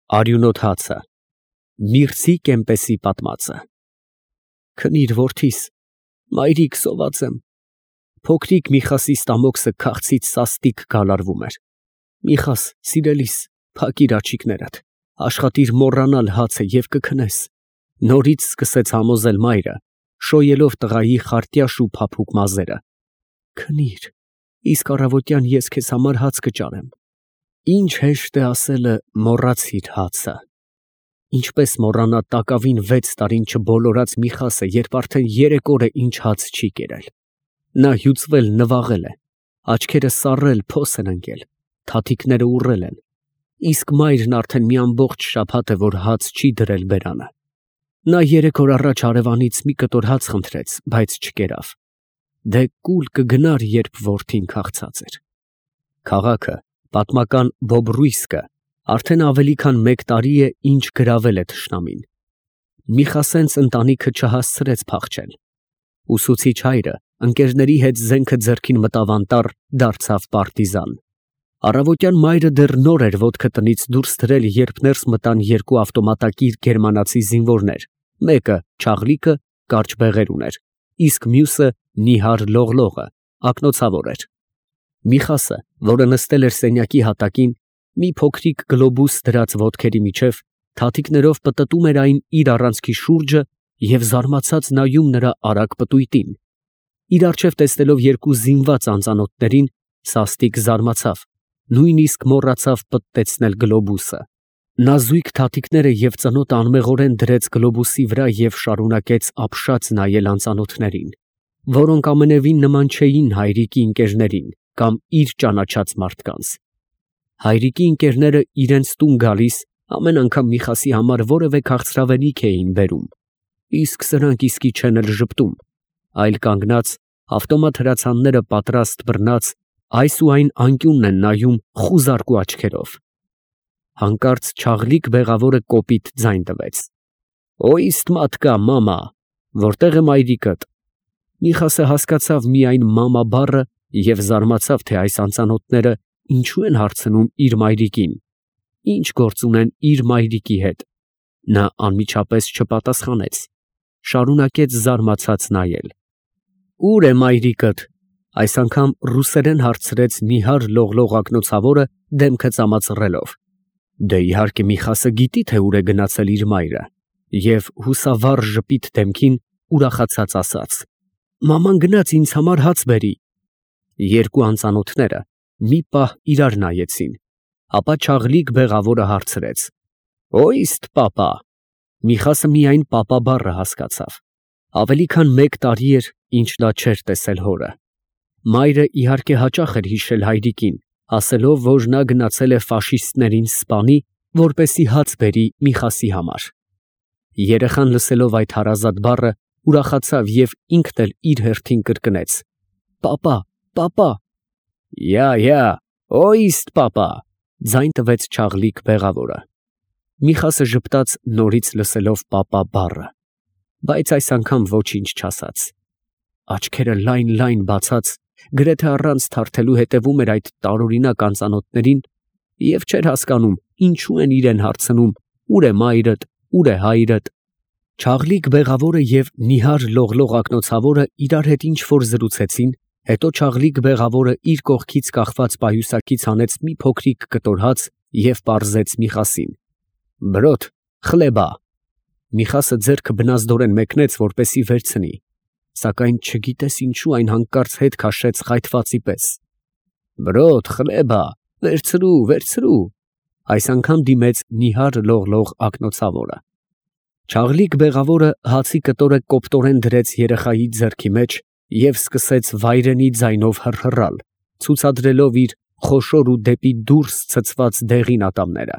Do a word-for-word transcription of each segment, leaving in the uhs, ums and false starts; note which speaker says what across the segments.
Speaker 1: Արյունոտ հացը, միրցի կեմպեսի պատմածը։ Քնիր, որդիս, մայրիկ սոված եմ։ Փոքրիկ Միխասի ստամոքսը քաղցից սաստիկ գալարվում էր։ Միխաս, սիրելիս, փակիր աչիկներդ, աշխատիր մոռանալ հացը և կքնես։ Նորից սկսեց համոզել մայրը, շոյելով տղայի խարտյաշ ու փափուկ մազերը։ Քնիր, իսկ առավոտյան ես քեզ համար հաց կճարեմ։ Ինչ հեշտ է ասելը մոռացիր հացը։ Ինչպես մոռանա տակավին վեց տարին չբոլորած Միխասը, երբ արդեն երեք օր է ինչ հաց չի կերել։ Նա հյուծվել նվաղել է, աչքերը սառել փոս են ընկել, թաթիկները ուռել են, իսկ մայրն արդեն մի ամբողջ շաբաթ է, որ հաց չի դրել բերանը։ Նա երեք օր առաջ հարևանից մի կտոր հաց խնդրեց, բայց չկերավ։ Դե կուլ կգնար, երբ որդին քաղցած էր։ Քաղաքը, պատմական Բոբրույսկը, արդեն ավելի քան մեկ տարի է, ինչ գրավել է թշնամին։ Միխասենց ընտանիքը չհասցրեց փախչել։ Ուսուցիչ հայրը ընկերների հետ զենքը ձեռքին մտավ անտառ, դարձավ պարտիզան։ Առավոտյան մայրը դեռ նոր էր ոտքը տնից դուրս դրել, երբ ներս մտան երկու ավտոմատակիր գերմանացի զինվորներ, մեկը Չաղլիկը կարճ բեղեր ուներ, իսկ մյուսը նիհար լողլողը ակնոցավոր էր։ Միխասը, որը նստել էր սենյակի հատակին, մի փոքրիկ գլոբուս դրած ոտքերի միջև, թաթիկներով պտտում էր այն իր առանցքի շուրջը և զարմացած նայում նրա արագ պտույտին։ Իր առջև տեսնելով երկու զինված անծանոթներին, սաստիկ զարմացավ, նույնիսկ մոռացավ պտտեցնել գլոբուսը։ Նա զույգ թաթիկները և ծնոտը անմեղորեն դրեց գլոբուսի վրա և շարունակեց ապշած նայել անծանոթներին, որոնք ամենևին նման չէին հայրիկի ընկերներին կամ իր ճանաչած մարդկանց։ Հայրիկի ընկերները իրենց տուն գալիս ամեն անգամ Միխասի համար որևէ քաղցրավենիք էին բերում, իսկ սրանք իսկի չեն էլ ժպտում, այլ կանգնած, ավտոմատ հրացանները պատրաստ բռնած, այս ու այն անկյունն են նայում խուզարկու աչքերով։ Հանկարծ Չաղլիկ բեղավորը կոպիտ ձայն տվեց. «Օիստ մատկա, մամա, որտե՞ղ է մայրիկդ»։ Միխասը հասկացավ միայն մամա բառը և զարմացավ, թե այս անծանոթները ինչու են հարցնում իր մայրիկին, ինչ գործ ունեն իր մայրիկի հետ։ Նա անմիջապես չպատասխանեց, շարունակեց զարմացած նայել։ «Ո՞ւր է մայրիկդ»։ Այս անգամ ռուսերեն հարցրեց նիհար լողլող ակնոցավորը դեմքը ծամածռելով։ Դե իհարկե Միխասը գիտի, թե ուր է գնացել իր մայրը, և հուսավառ ժպիտ դեմքին ուրախացած ասաց. «Մաման գնաց ինձ համար հաց բերի»։ Երկու անծանոթները մի պահ իրար նայեցին, ապա Չաղլիկ բեղավորը հարցրեց. «Օիստ պապա»։ Միխասը միայն պապա բառը հասկացավ։ Ավելի քան մեկ տարի էր, ինչ նա չէր տեսել հորը։ Մայրը իհարկե հաճախ էր հիշել հայրիկին, ասելով, որ նա գնացել է ֆաշիստներին սպանի, որպեսզի հաց բերի Միխասի համար։ Երեխան լսելով այդ հարազատ բառը ուրախացավ և ինքն էլ իր հերթին կրկնեց. «Պապա, պապա»։ «Յա, յա, օիստ պապա», ձայն տվեց Չաղլիկ բեղավորը։ Միխասը ժպտաց, նորից լսելով պապա բառը, բայց այս անգամ ոչինչ չասաց։ Աչքերը լայն֊լայն բացած, գրեթե առանց թարթելու հետևում էր այդ տարօրինակ անծանոթներին և չէր հասկանում, ինչու են իրեն հարցնում. «Ո՞ւր է մայրդ, ո՞ւր է հայրդ»։ Չաղլիկ բեղավորը և նիհար լողլող ակնոցավորը իրար հետ ինչ֊որ զրուցեցին, հետո Չաղլիկ բեղավորը իր կողքից կախված պայուսակից հանեց մի փոքրիկ կտոր հաց և պարզեց Միխասին. «Բրոդ, խլեբա»։ Միխասը ձեռքը բնազդորեն մեկնեց, որպեսզի վերցնի, սակայն չգիտես ինչու այն հանկարծ հետ քաշեց խայթվածի պես։ «Բրոդ, խլեբա, վերցրու, վերցրու»։ Այս անգամ դիմեց նիհար լողլող ակնոցավորը։ Չաղլիկ բեղավորը հացի կտորը կոպտորեն դրեց երեխայի ձեռքի մեջ և սկսեց վայրենի ձայնով հռհռալ, ցուցադրելով իր խոշոր ու դեպի դուրս ցցված դեղին ատամները։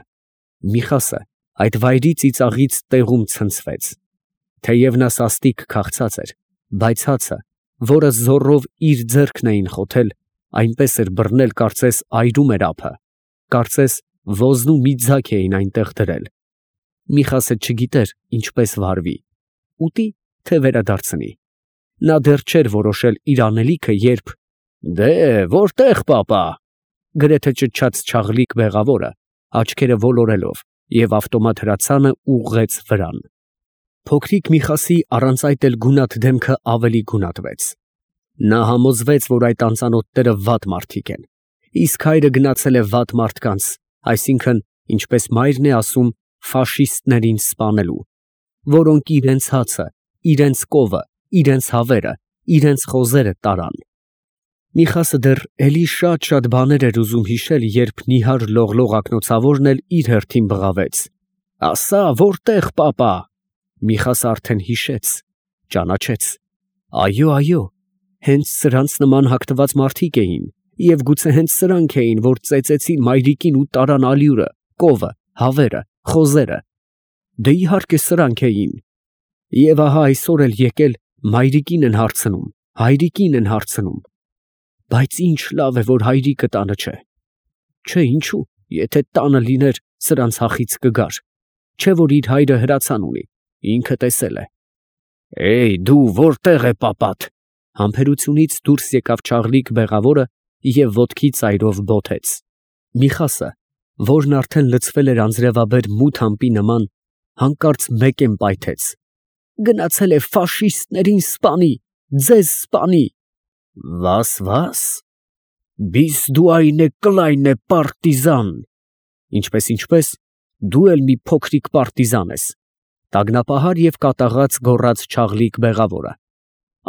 Speaker 1: Միխասը այդ վայրի ծիծաղից տեղում ցնցվեց։ Թեև նա սաստիկ քաղցած էր, բայց հացը, որը զոռով իր ձեռքն էին խոթել, այնպես էր բռնել, կարծես այրում էր ափը, կարծես ոզնու մի ձագ էին այնտեղ դրել։ Միխասը չգիտեր ինչպես վարվի՝ ուտի, թե վերադարձնի։ Նա դեռ չէր որոշել իր անելիքը, երբ «Դե, որտե՞ղ պապա», գրեթե ճչաց Չաղլիկ բեղավորը, աչքերը ոլորելով, և ավտոմատ հրացանը ուղղեց վրան։ Փոքրիկ Միխասի առանց այդ էլ գունատ դեմքը ավելի գունատվեց։ Նա համոզվեց, որ այդ անծանոթները վատ մարդիկ են, իսկ հայրը գնացել է վատ մարդկանց, այսինքն, ինչպես մայրն է ասում, ֆաշիստներին սպանելու, որոնք իրենց հացը, իրենց կովը, իրենց հավերը, իրենց խոզերը տարան։ Միխասը դեռ էլի շատ-շատ բաներ էր ուզում հիշել, երբ նիհար լողլող ակնոցավորն էլ իր հերթին բղավեց. «Ասա, որտե՞ղ պապա»։ Միխասը արդեն հիշեց, ճանաչեց. այո, այո, հենց սրանց նման հագնված մարդիկ էին, և գուցե հենց սրանք էին, որ ծեծեցին մայրիկին ու տարան ալյուրը, կովը, հավերը, խոզերը։ Դե իհարկե սրանք էին։ Եվ ահա այսօր էլ եկել մայրիկին են հարցնում, հայրիկին են հարցնում։ Բայց ինչ լավ է, որ հայրիկը տանը չէ։ Չէ, ինչու, եթե տանը լիներ, սրանց հախից կգար, չէ որ իր հայրը հրացան ունի, ինքը տեսել է։ Էյ, դու որտե՞ղ է պապատ։ Համբերությունից դուրս եկավ Չաղլիկ բեղավորը և ոտքի ծայրով բոթեց։ Միխասը, որն արդեն լցվել էր անձրևաբեր մութ ամպի նման, հանկարծ մեկեն պայթեց. գնացել է ֆաշիստներին սպանի, ձեզ սպանի։ Վաս, վաս, բիս դու այնե կլայնե պարտիզան։ Ինչպես, ինչպես, դու էլ մի փոքրիկ պարտիզան ես, տագնապահար և կատաղած գոռաց Չաղլիկ բեղավորը։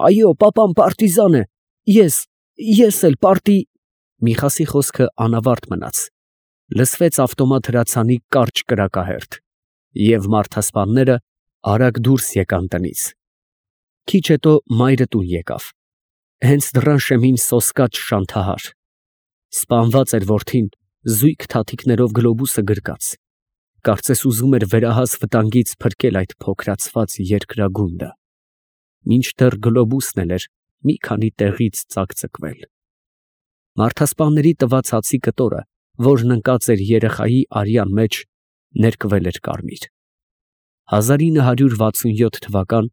Speaker 1: Այո, պապան պարտիզան է, ես, ես էլ պարտի… Միխասի խոսքը անավարտ մնաց, լսվեց ավտոմատ հրացանի կարճ կրակահերթ, և մարդասպանները արագ դուրս եկան տնից։ Քիչ հետո մայրը տուն եկավ, հենց դռան շեմին սոսկաց շանթահար։ Սպանված էր որդին զույգ թաթիկներով գլոբուսը գրկած, կարծես ուզում էր վերահաս վտանգից փրկել այդ փոքրացված երկրագունդը, մինչդեռ գլոբուսն էլ էր մի քանի տեղից ծակծկվել։ Մարդասպանների տված հացի կտորը, որն ընկած էր երեխայի արյան մեջ, ներկվել էր կարմիր։ հազար ինը հարյուր վաթսունյոթ թվական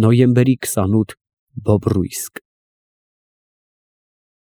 Speaker 1: նոյեմբերի քսանութ Բոբրույսկ։